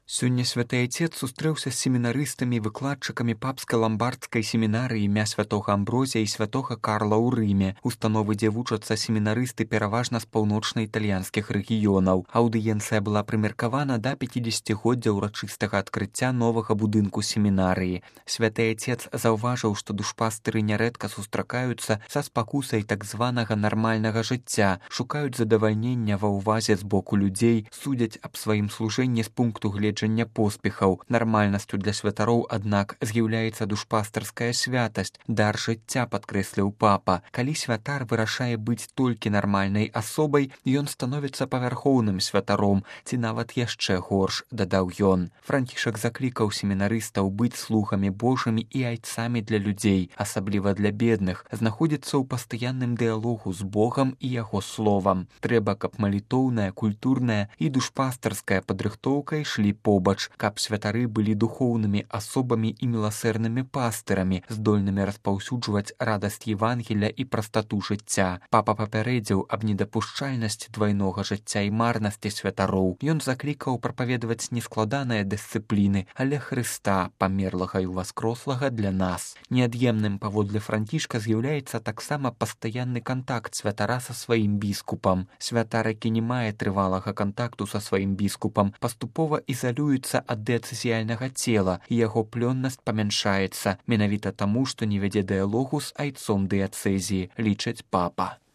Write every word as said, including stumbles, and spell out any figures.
Сёння святы айцец сустрэўся з семінарыстамі і выкладчыкамі папскай ламбардскай семінарыі імя святога Амброзія і святога Карла ў Рыме, установы, дзе вучацца семінарысты пераважна з паўночна-італьянскіх рэгіёнаў. Аўдыенцыя была прымеркавана да пяцідзесяцігоддзя ўрачыстага адкрыцця новага будынку семінарыі. Святы айцец заўважыў, што душпастыры нярэдка сустракаюцца са спакусай так званага нармальнага жыцця, шукаюць задавальнення ва ўвазе з боку людзей, судзяць аб сваім служэнні з пункту гледжання поспехаў. Нармальнасцю для святароў, аднак, з'яўляецца душпастарская святасць, дар жыцця, падкрэсліў папа. Калі святар вырашае быць толькі нармальнай асобай, ён становіцца павярхоўным святаром, ці нават яшчэ горш, дадаў ён. Францішак заклікаў семінарыстаў быць слугамі Божымі і айцамі для людзей, асабліва для бедных, знаходзіцца ў пастаянным дыялогу з Богам і яго словам. Трэба, каб малітоўная, культурная і душпастарская падрыхтоўка ішлі побач, каб святары былі духоўнымі асобамі і міласэрнымі пастырамі, здольнымі распаўсюджваць радасць Евангеля і прастату жыцця. Папа папярэдзіў аб недапушчальнасці двайнога жыцця і марнасці святароў. Ён заклікаў прапаведаваць не складаныя дысцыпліны, але Хрыста, памерлага і ўваскрослага для нас. Неад'емным паводле Францішка з'яўляецца таксама пастаянны кантакт святара са сваім біскупам. Святар, які не мае трывалага кантакту са сваім біскупам, паступова ізалюецца ад дыяцэзіяльнага цела, і яго плённасць памяншаецца, менавіта таму, што не вядзе дыялогу з айцом дыяцэзіі, лічыць папа.